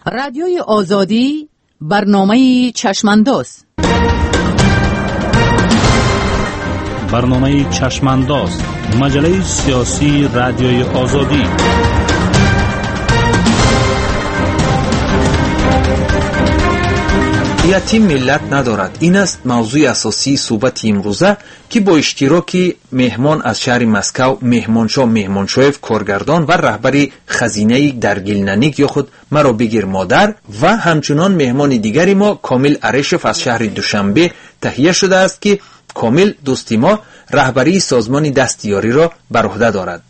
Радиои Озодӣ, барномаи Чашмандоз. Барномаи Чашмандоз, маҷаллаи сиёсии Радиои Озодӣ. Ятим миллат надорад. Ин аст мавзӯи асосии суҳбати имрӯза, ки бо иштироки меҳмон аз шаҳри Москав, Меҳмоншоҳ Меҳмоншоев, коргардон ва раҳбари хазинаи Даргилнаник ё худ Маро бигир модар, ва ҳамчунон меҳмони дигари мо Комил Арешев аз шаҳри Душанбе таҳия шудааст, ки Комил дӯсти мо раҳбарии созмони дастиёриро бар уҳда дорад.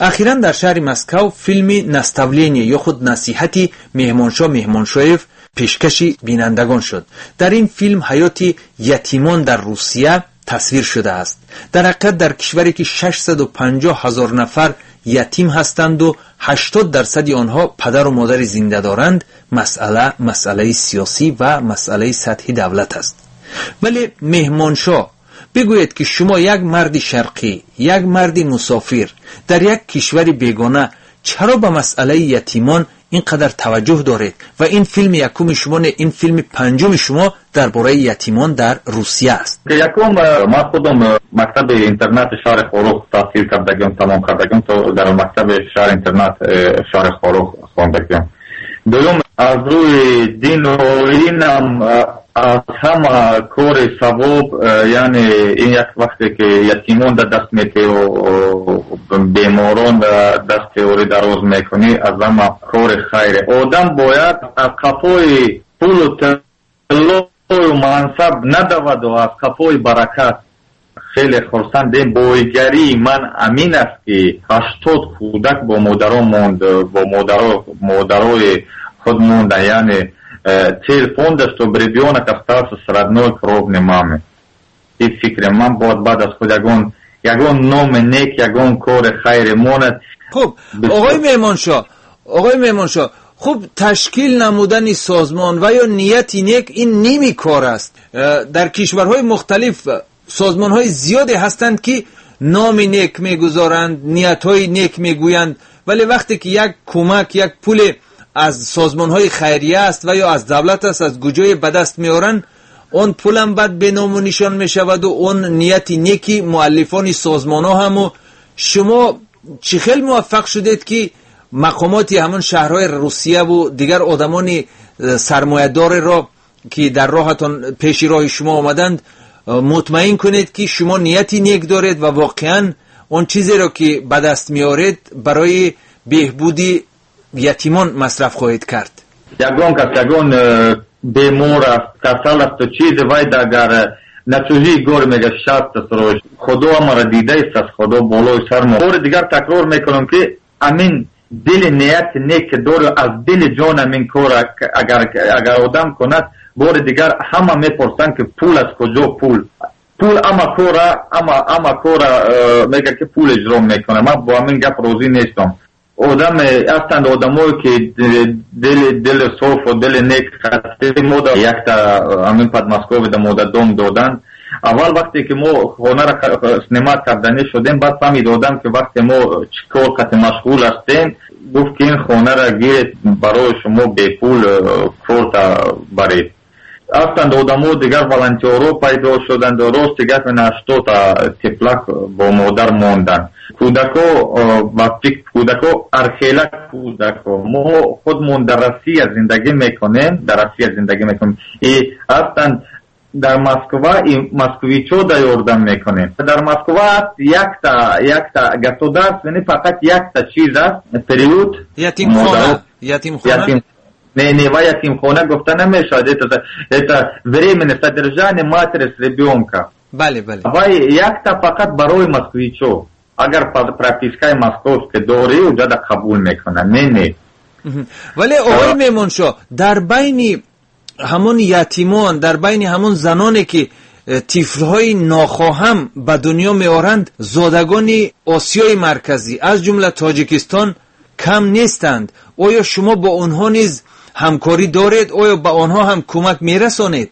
Ахиран дар шаҳри Москав филми Наставление ё худ Насиҳати Меҳмоншоҳ Меҳмоншоев пешкаши бинандагон шуд. Дар ин филм ҳаёти ятимон дар Русия тасвир шудааст. Дар ҳақиқат дар кишваре ки 650 ҳазор нафар ятим ҳастанду 80% онҳо падару модари зинда доранд, масъала масъалаи сиёсӣ ва масъалаи сатҳи давлат аст. Вале Меҳмоншоҳ, бигӯед ки шумо як марди шарқӣ, як марди мусофир дар як кишвари бегона чаро ба масъалаи ятимон ин қадар таваҷҷӯҳ доред ва ин филми якуми шумо не, ин филми панҷуми шумо дар бораи ятимон дар Русия аст? Якум, ман худам мактаби интернати шаҳри Хоруғ таҳсил кардагиам, тамом кардагиам, то дар мактаби шаҳри интернат шаҳри Хоруғ хондагиам. Дуюм, аз рӯи дину оинам аз ҳама кори савоб, яъне ин як вақте ки ятимон дар даст метеҳу беморон дар дасти ёрӣ дароз мекунӣ, аз ҳама кори хайре. Одам бояд аз қафои пулу тиллою мансаб надаваду аз қафои баракат. Хеле хурсандем. Боигарии ман амин аст, ки 80 кӯдак бо модарон монд, бо модарои худ монда, яъне цель фонда, чтобы ребенок остался с родной кровной мамой. И фикри ман бояд баъд аз худ ягон номи нек, ягон кори хайре монад. Хуб, оғои Меҳмоншоҳ, хуб, ташкил намудани созмон ва ё нияти нек ин ними кор аст. Дар кишварҳои мухталиф созмонҳои зиёде ҳастанд, ки номи нек мегузоранд, ниятҳои нек мегӯянд, вале вақте ки як кӯмак, як пуле аз созмонҳои хайрия аст ва ё аз давлат аст, аз куҷое ба даст меоранд, он пулам баъд бе ному нишон мешаваду он нияти неки муаллифони созмонҳо ҳаму. Шумо чӣ хел муваффақ шудед, ки мақомоти ҳамон шаҳрҳои Русияву дигар одамони сармоядореро, ки дар роҳатон пеши роҳи шумо омаданд, мутмаин кунед, ки шумо нияти нек доред ва воқеан он чизеро, ки ба даст меоред, барои беҳбуди ятимон масраф хоҳед кард? Ягон кас, ягон бемор аст, касал аст, чизе вай агар на чужие горы мега шаст аст, рӯш. Худо амара дидаист аст, Худо болои сар мо. Бори дигар такрор мекунам, ки амин дили нияти нек дору, аз дили ҷон амин кор агар одам кунад, бори дигар ҳама мепурсанд, ки пул аз куҷо пул? Пул ама кора, ама кора, мега ки пул иҷро мекунад. Ман бо амин гап розӣ нестам. Одам ҳастанд одамое, ки дили софу дили нек хасти мода якта амин Подмосковьеда мода дом доданд. Аввал вақте ки мо хонаро снимать карданӣ шудем, баъд фаҳмид одам, ки вақте мо чӣ кор қати машғул ҳастем, гуфт, ки ин хонаро гиред, барои шумо бепул корта баред. Ҳастанд одамо дигар, волонтёрҳо пайдо шуданд, рости гап ин 80-та тифлак бо модар монданд. Кӯдако, ба фикр кӯдако, архела кӯдако. Мо худмон дар Россия зиндагӣ мекунем, дар Россия зиндагӣ мекунем. И ҳастанд дар Москва и москвичо да ёрдам мекунем. Дар Москва аст якта государственный, фақат якта чиз аст, приют. Ятимхона. Ятимхона? Ятим. Не, не, ва ятимхона гуфта намешавад. Это временное содержание матери с ребенка. Бале, бале. Ва якта фақат барои москвичо. Агар пропискаи московский дорӣ, уҷада қабул мекунад. Не, не. Вале оғои Меҳмоншоҳ, дар байни ҳамон ятимон, дар байни ҳамон заноне, ки тифлҳои нохоҳам ба дунё меоранд, зодагони Осиёи Марказӣ, аз ҷумла Тоҷикистон, кам нестанд. Оё шумо бо онҳо низ ҳамкорӣ доред? Оё ба онҳо ҳам кӯмак мерасонед?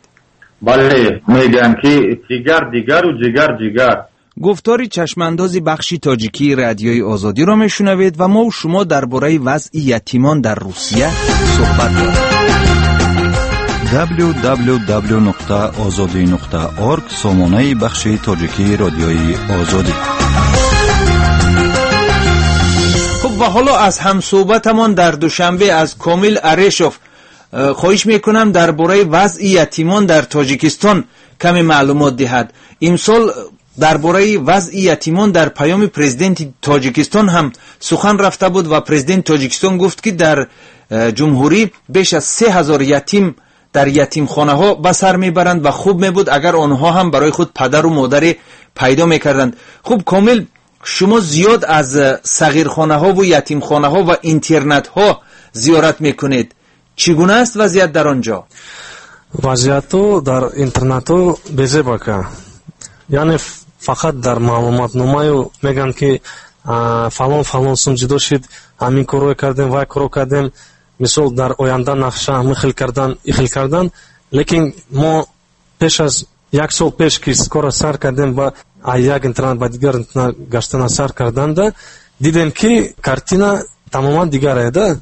Бале, мегӯям, ки ҷигар дигару ҷигар ҷигар. Гуфтори чашмандози бахши тоҷикии Радиои Озодиро мешунавед ва мо шумо дар бораи вазъи ятимон дар Русия суҳбат дорем. www.ozodi.org сомонаи бахши тоҷикии Радиои Озодӣ. Хуб, ва ҳоло аз ҳамсӯҳбатамон дар Душанбе, аз Комил Арешов хоҳиш мекунам дар бораи вазъи ятимон дар Тоҷикистон каме маълумот диҳад. Имсол дар бораи вазъи ятимон дар паёми президенти Тоҷикистон ҳам сухан рафта буд ва президенти Тоҷикистон гуфт, ки дар ҷумҳурӣ беш аз 3000 ятим дар ятимхонаҳо ба сар мебаранд ва хуб мебуд, агар онҳо ҳам барои худ падару модаре пайдо мекарданд. Хуб, Комил, шумо зиёд аз сағирхонаҳову ятимхонаҳо ва интернатҳо зиёрат мекунед. Чӣ гуна аст вазъият дар он ҷо? Вазъияту дар интернату безебака. Яъне фақат дар маълумотномаю мегӯянд, ки фалон фалон сум ҷудо шид, ҳамин корро кардем, вай корро кардем, мисол дар оянда нақша ҳамин хел кардан, ин хел кардан. Лекин мо пеш аз як сол пеш ки корро сар кардем, ба як интернат ба дигар интернат гаштана сар карданда, дидем, ки картина тамоман дигар да.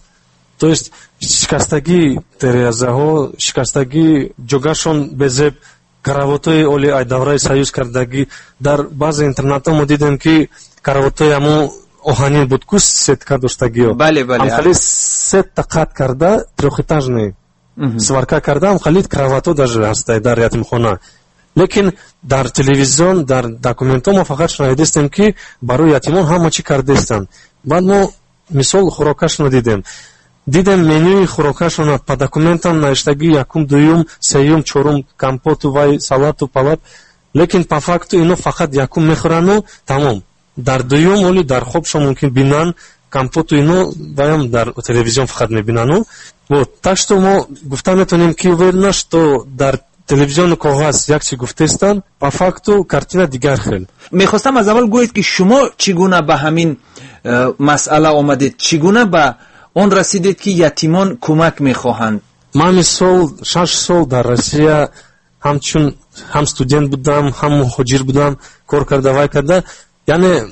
То есть шикастагии терезаҳо, шикастагии ҷогашон безеб, каравотҳои оли ай давраи союз кардагӣ. Дар баъзе интернатҳо мо дидем, ки каравотҳои ҳамун оҳанин буд ку, сетка доштагиё. Бале, бале. Ҳамхали сетта қат карда, трёхэтажный сварка карда, ҳамхали кроватҳо даже ҳастай дар ятимхона. Лекин дар телевизион, дар документҳо мо фақат шунавидастем, ки барои ятимон ҳама чӣ кардастанд. Баъд мо мисол хӯрокашонро дидем. Дидем менюи хӯрокашона по документам навиштагӣ якум, дуюм, сеюм, чорум, компоту вай, салату палат, лекин по факту ино фақат якум мехӯрану тамом. Дар дуюм оли дар хобшон мумкин бинан компоту ино, ваям дар телевизион фақат мебинану. Вот так что мо гуфта метавонем, ки уверена, что дар телевизиону коғаз як чи гуфтестанд, по факту картина дигар хел. Мехостам аз аввал гӯед, ки шумо чӣ гуна ба ҳамин масъала омадед, чӣ гуна ба он расидед, ки ятимон кӯмак мехоҳанд? Ман мисол 6 сол дар Россия ҳамчун ҳам студент будам, ҳам муҳоҷир будам, кор карда, вай карда, яъне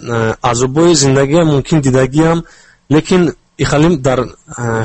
азобҳои зиндагиам мумкин дидагиам. Лекин ихалим дар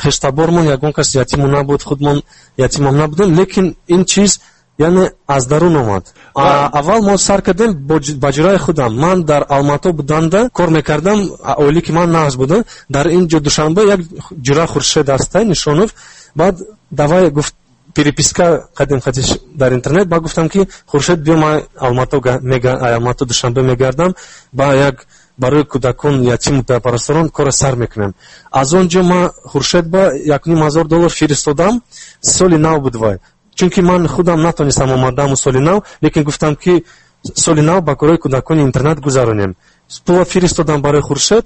хештабормон ягон кас ятиму набуд, худмон ятимам набудем. Лекин ин чиз яъне аз дарун омад. Аввал мо сар кардем ба ҷураи худам. Ман дар Алмато буданда кор мекардам, оиле ки ман нағз буда. Дар ин ҷо Душанбе як ҷура Хуршед ҳастай, Нишонов. Баъд давай гуфт, переписка кардем хатиш дар интернет. Баъд гуфтам, ки Хуршед, биё, ман Алмато Душанбе мегардам, ба як барои кӯдакон ятиму бепарасторон кора сар мекунем. Аз он ҷо ман Хуршед ба 1500 доллар фиристодам. Соли нав буд вай, чунки ман худам натонистам омадаму соли нав, лекин гуфтам, ки соли нав ба корои кӯдакони интернат гузаронем. Пула фиристодам барои Хуршед.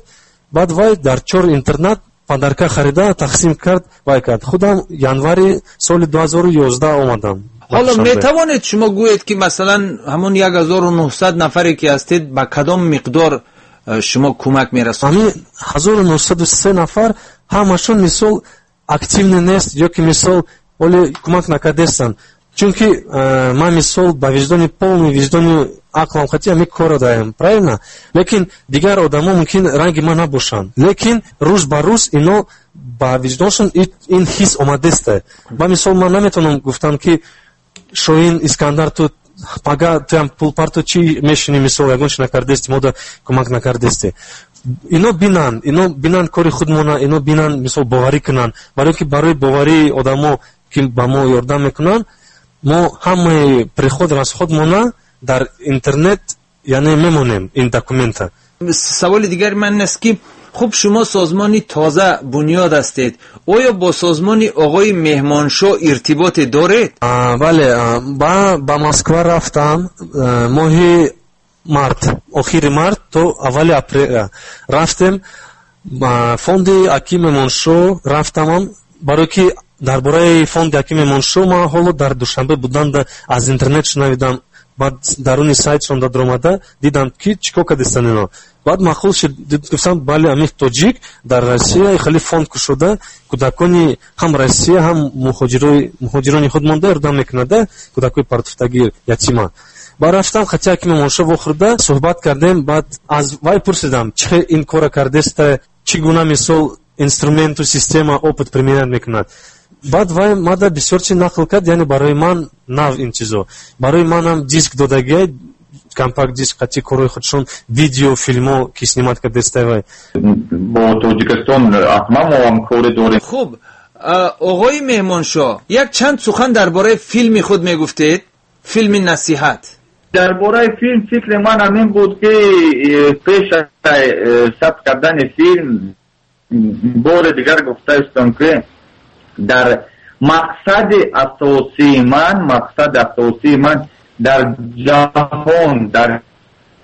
Баъд вай дар чор интернат подарка харида тақсим кард, вай кард. Худам январи соли 2011 омадам. Ҳоло метавонед шумо гӯед, ки масалан ҳамон 1900 нафаре ки ҳастед, ба кадом миқдор шумо кӯмак мерасонед? Ҳамин 1903 нафар ҳамашон мисол активный нест ё ки мисол оле кӯмак накардестанд, чунки ман мисол ба виҷдони, полный виҷдони ақлам хати ҳамин корро даем, правильно? Лекин дигар одамо мумкин ранги ман набошанд, лекин рӯз ба рӯз ино ба виҷдоншон ин ҳис омадеста. Ба мисол ман наметавонам гуфтам, ки Шоҳин Искандар, ту пага туям пул парту, чӣ мешинӣ, мисол ягон чи накардести, мода кӯмак накардести. Ино бинанд кори худмона, ино бинанд, мисол боварӣ кунанд, барои ки барои боварии одамо, ки ба мо ёрдам мекунанд, мо ҳамаи приход расходмона дар интернет яъне мемонем ин документа. Саволи дигари ман ин аст, ки хуб, шумо созмони тоза бунёд ҳастед, оё бо созмони оғои Меҳмоншоҳ иртиботе доред? Бале, ба Москва рафтам моҳи март, охири март то аввали апреля рафтем фонди Аким Меҳмоншоҳ рафтамам, барое ки дар бораи фонди Аким Меҳмоншоҳ ман ҳоло дар Душанбе буданда аз интернет шунавидам. Баъд даруни сайтшон даромада дидам, ки чӣ кор кардистанд ино. Баъд маъқул шуд, гуфтам, бале, ҳамин тоҷик дар Россия хеле фонд кушода, кӯдакони ҳам Россия, ҳам муҳоҷирони худ монда ёрдам мекунада, кӯдакои партуфтагӣ, ятима. Баъд рафтам хати Ҳаким Меҳмоншоҳ вохӯрда суҳбат кардем. Баъд аз вай пурсидам, чӣ хел ин кора кардеста, чӣ гуна мисол инструменту система опыт применять мекунад. Баъд вай мада бисёр чи нақл кард, яъне барои ман нав ин чизо. Барои манам диск додагиай, компакт диск қати корҳои худшон, видео филмо ки снимать кардестай вай. Бо Тоҷикистон ҳатман мо ҳамкорӣ дорем. Хуб, оғои Меҳмоншоҳ, як чанд сухан дар бораи филми худ мегуфтед, филми Насиҳат. Дар бораи филм фикри ман ҳамин буд, ки пеш сабт кардани филм бори дигар гуфтаистам, ки дар мақсади асосии ман, мақсади асосии ман дар ҷаҳон, дар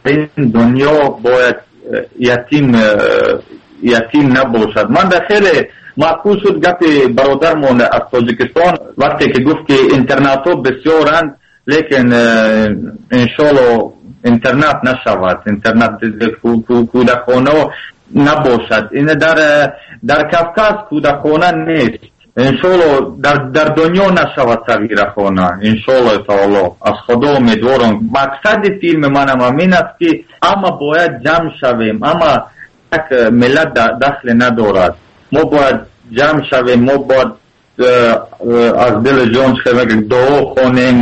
ин дунё бояд ятим набошад. Ман дар хеле маъқул шуд гапи бародармон аз Тоҷикистон, вақте ки гуфт, ки интернатҳо бисёранд, лекин иншоалло интернат нашавад, интернат кӯдакхонаҳо набошад. Ин дар Кавказ кӯдакхона нест. Иншоалло дар дунё нашавад сағирахона. Иншоалло таоло аз Худо умедворам. Мақсади филми манам ҳамин аст, ки ҳама бояд ҷамъ шавем, ҳама як миллат дахле надорад. Мо бояд ҷамъ шавем, мо бояд аз дили ҷон дуо хонем,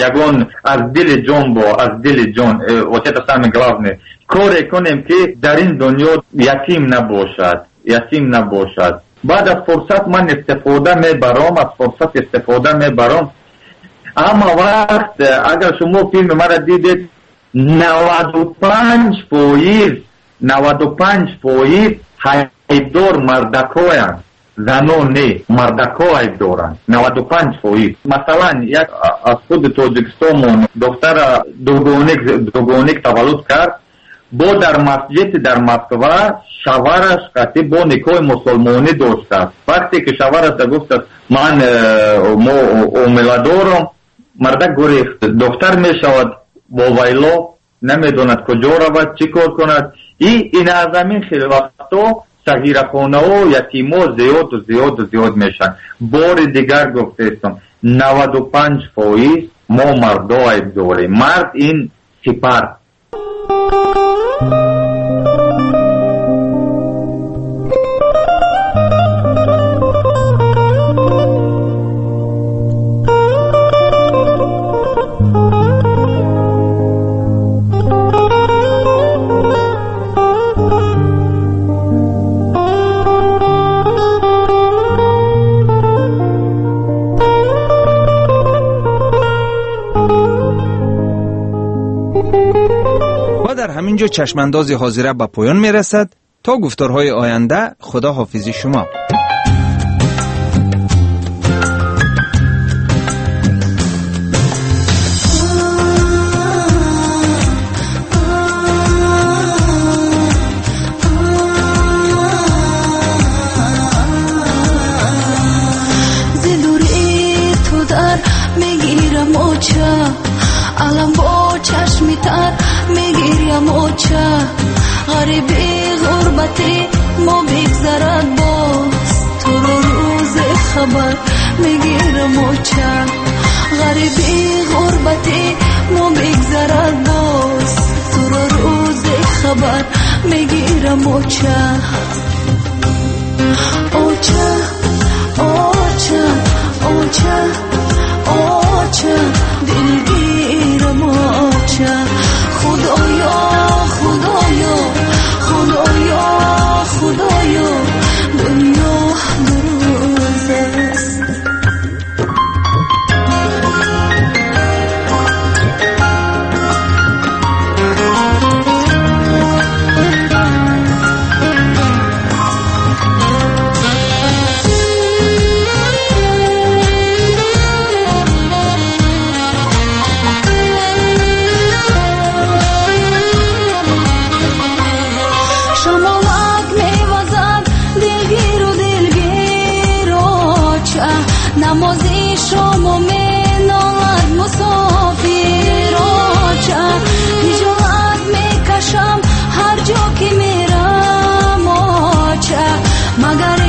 ягон аз дили ҷон, бо аз дили ҷон, вот это самое главное, коре кунем, ки дар ин дунё ятим набошад, ятим набошад. Баъд аз фурсат ман истифода мебарам, аз фурсат истифода мебарам. Ҳама вақт агар шумо филми маро дидед, 95%, 95% айбдор мардакоянд, занон не, мардако айб доранд, 95%. Масалан, як аз худи Тоҷикистонмон духтара дугоник таваллуд кард, бо дар масҷиди дар Москва шавараш қатӣ бо никоҳи мусулмонӣ доштааст. Вақте ки шавараш гуфтааст, ман мо омиладорам, мардак гурехт. Духтар мешавад бо вайло, намедонад куҷо равад, чӣ кор кунад. И ин аз ҳамин хел вақто сағирахонаҳо, ятимо зиёду зиёду зиёд мешаванд. Бори дигар гуфтаистам, 95% мо мардо айб дорем. Мард ин сипар. Ҳаминҷо чашмандози ҳозира ба поён мерасад. То гуфторҳои оянда, худо ҳофизи шумо. Зидури ту дар мегирам оча, алам бо чашми тар мегирям оча. Ғариби ғурбати мо бигзарад боз, туро рӯзе хабар мегирам оча. Ғариби ғурбати мо бигзарад боз, туро рӯзе хабар мегирам оча. Оча, оча, оча, оча, дилгирам оча. Худоё, Худоё, Худоё, Худоё, дунё дуруз аст. Намози шому менолад мусофир оча. Ҳиҷолат мекашам ҳар ҷо ки мерам оча. Магар